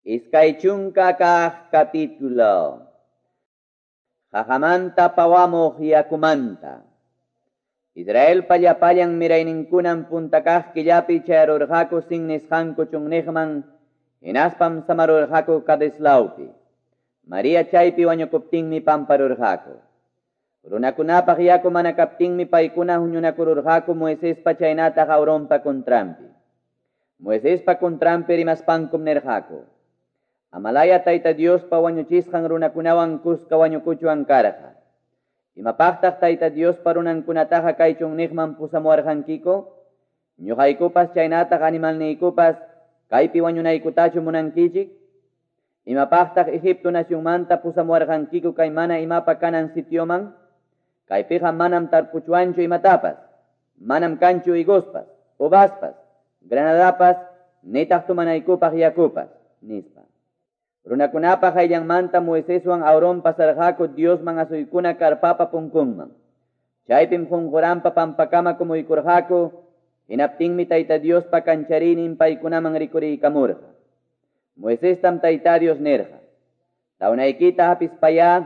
20 kaq capítulo. Qaqamanta pawamuq yakumanta. Israelpa llapallan mirayninkunam punta kaq killapi chayarurqaku Sin nisqanku chunniqman, hinaspam samarurqaku Cades lawpi. María chaypi wañukuptinmi pamparurqaku. Runakunapaq yaku mana kaptinmi paykuna huñunakururqaku Moisespa chaynataq Aaronpa contranpi. Moisespa contranpi rimaspankum nirqaku: Amalaya Tayta Diospa wañuchisqan runakunawan kuska wañukuchuwan karqa. Imapaqtaq Tayta Diospa runankunataqa kay chunniqman pusamuwarqankiku? Ñuqaykupas chaynataq animalniykupas kaypi wañunaykutachu munankichik? Imapaqtaq Egipto nacionmanta pusamuwarqankiku kay mana imapa kanan sitioman? Kaypiqa manam tarpuchuanchu imatapas, manam kanchu higospas, uvaspas, granadapas, nitaq tumanaykupaq yakupas, nispa. Runakunapa hayllanmanta Moiseswan Aarón pasarqaku Diosman asuykuna karpapa punkunman. Chaypim qunquranpa pampakama kumuykurqaku, hinaptinmi Tayta Diospa kanchariynin paykunaman rikuriykamurqa. Moisestam Tayta Dios nirqa: Tawnaykita hapispayá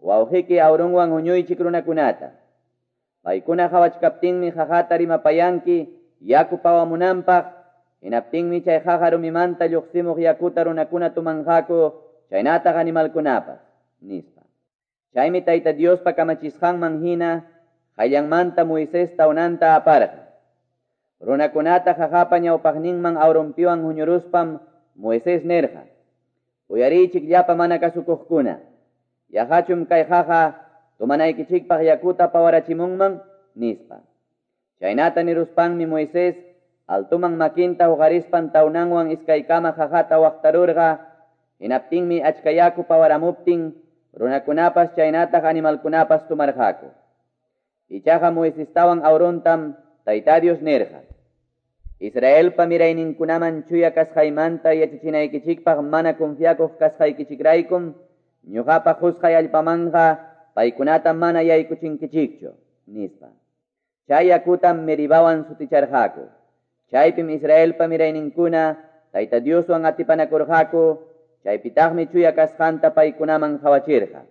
wawqiyki Aaronwan huñuychik runakunata. Paykuna qhawachkaptinmi qaqata rimapayanki yaku pawamunanpaq, hinaptinmi chay qaqa rumimanta lluqsimuq yakuta runakuna tumanqaku chaynataq animalkunapas, nispa. Chaymi Tayta Diospa kamachisqanman hina hayllanmanta Moisés tawnanta aparqa. Runakunata qaqapa ñawpaqninman Aaronpiwan huñuruspam Moisés nirqa: Uyariychik llapa mana kasukuqkuna, yaqachum kay qaqa tumanaykichikpaq yakuta pawarachimunman, nispa. Chaynata niruspanmi Moisés altuman makinta huqarispan tawnanwan iskaykama qaqata waqtarurqa, hinaptinmi achka yaku pawaramuptin runakunapas chaynataq animalkunapas tumarqaku. Ichaqa Moisestawan Aarontam Tayta Dios nirqa: Israelpa mirayninkunaman chuya kasqaymanta yachachinaykichikpaq mana confiakuq kasqaykichikraykum ñuqapa qusqay allpamanqa paykunata mana yaykuchinkichikchu, nispa. Chay yakutam Meribawan suticharqaku. Chaypim Israelpa mirayninkuna Tayta Dioswan atipanakurqaku, chaypitaqmi chuya kasqanta paykunaman qhawachirqa.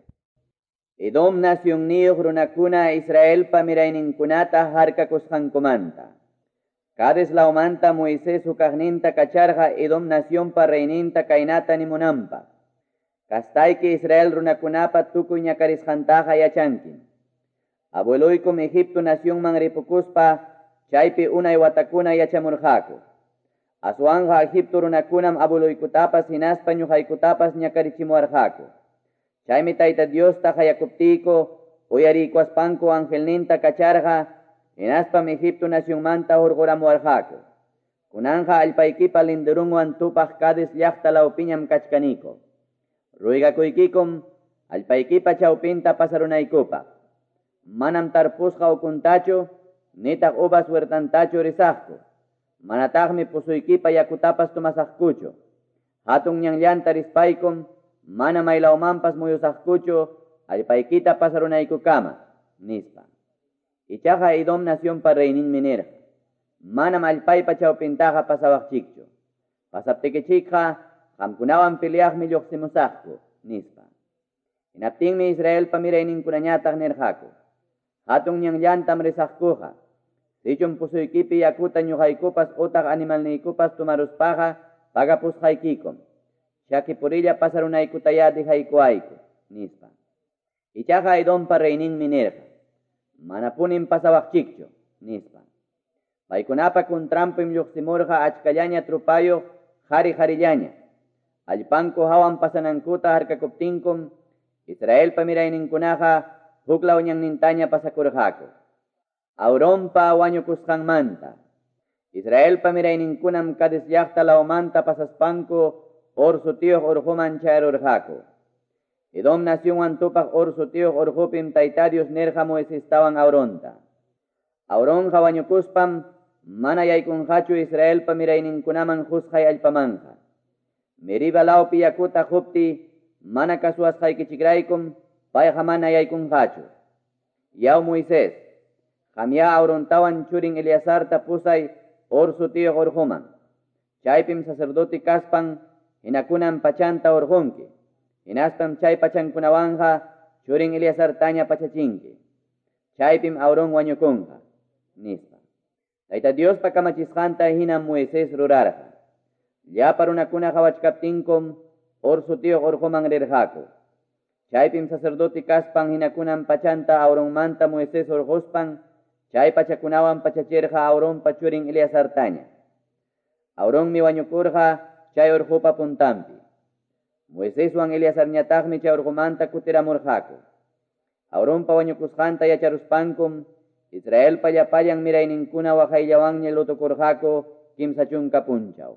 Edom nacionniyuq runakuna Israelpa mirayninkunata harkakusqankumanta. Cades lawmanta Moisés hukaqninta kacharqa Edom nacionpa reyninta kaynata nimunanpaq: Kastayki Israel runakunapa tukuy ñakarisqantaqa yachankim. Abueloykum Egipto nacionman ripukuspa chaypi unay watakuna yachamurqaku. Aswanqa Egipto runakunam abueloykutapas hinaspa ñuqaykutapas ñakarichimuwarqaku. Chaymi Tayta Diosta qayakuptiyku uyariykuaspanku angelninta kacharqa, hinaspam Egipto nacionmanta hurquramuwarqaku. Kunanqa allpaykipa linderunwan tupaq Cades llaqta lawpiñam kachkaniku. Ruygakuykikum allpaykipa chawpinta pasarunaykupaq. Manam tarpusqa ukuntachu, nitaq uvas huertantachu risaqku. Manataqmi pusuykipa yakutapas tumasaqkuchu. Hatun ñanllanta rispaykum, mana maylawmanpas muyusaqkuchu allpaykita pasarunaykukama, nispa. Ichaqa Edom nacionpa reyninmi nirqa: Manam allpaypa chawpintaqa pasawaqchikchu. Pasaptikichikqa qamkunawan peleaqmi lluqsimusaqku, nispa. Hinaptinmi Israelpa mirayninkunañataq nirqaku: Hatun ñanllantam risaqkuqa. Sichum pusuykipi yakuta ñuqaykupas utaq animalniykupas tumaruspaqa pagapusqaykikum. Chakipurilla pasarunaykutayá dejaykuayku, nispa. Ichaqa Edompa reyninmi nirqa: Manapunim pasawaqchikchu, nispa. Paykunapa contranpim lluqsimurqa achkallaña trupayuq qhari-qharillaña. Allpanku hawan pasanankuta harkakuptinkum Israelpa mirayninkunaqa huklaw ñannintaña pasakurqaku. Aaronpa wañukusqanmanta. Israelpa mirayninkunam Cades llaqta lawmanta pasaspanku Hor sutiyuq urquman chayarurqaku. Edom nacionwan tupaq Hor sutiyuq urqupim Tayta Dios nirqa Moisestawan Aaronta: Aaronqa wañukuspam mana yaykunqachu Israelpa mirayninkunaman qusqay allpamanqa. Meriba lawpi yakuta qupti mana kasuwasqaykichikraykum payqa mana yaykunqachu. Yaw Moisés, qamya Aarontawan churin Eleazarta pusay Hor sutiyuq urquman. Chaypim sacerdote kaspan hinakunan pachanta hurqunki. Hinaspam chay pachankunawanqa churin Eleazartaña pachachinki. Chaypim Aarón wañukunqa, nispa. Tayta Diospa kamachisqanta hinam Moisés rurarqa. Llapa runakuna qawachkaptinkum Hor sutiyuq urquman rirqaku. Chaypim sacerdote kaspan hinakunan pachanta Aaronmanta Moisés hurquspan chay pachakunawan pachachirqa Aaronpa churin Eleazartaña. Aaronmi wañukurqa chay urqupa puntanpi. Moiseswan Eleazarñataqmi chay urqumanta kutiramurqaku. Aaronpa wañukusqanta yacharuspankum Israelpa llapallan mirayninkuna waqayllawanña lutokurqaku 30 punchaw.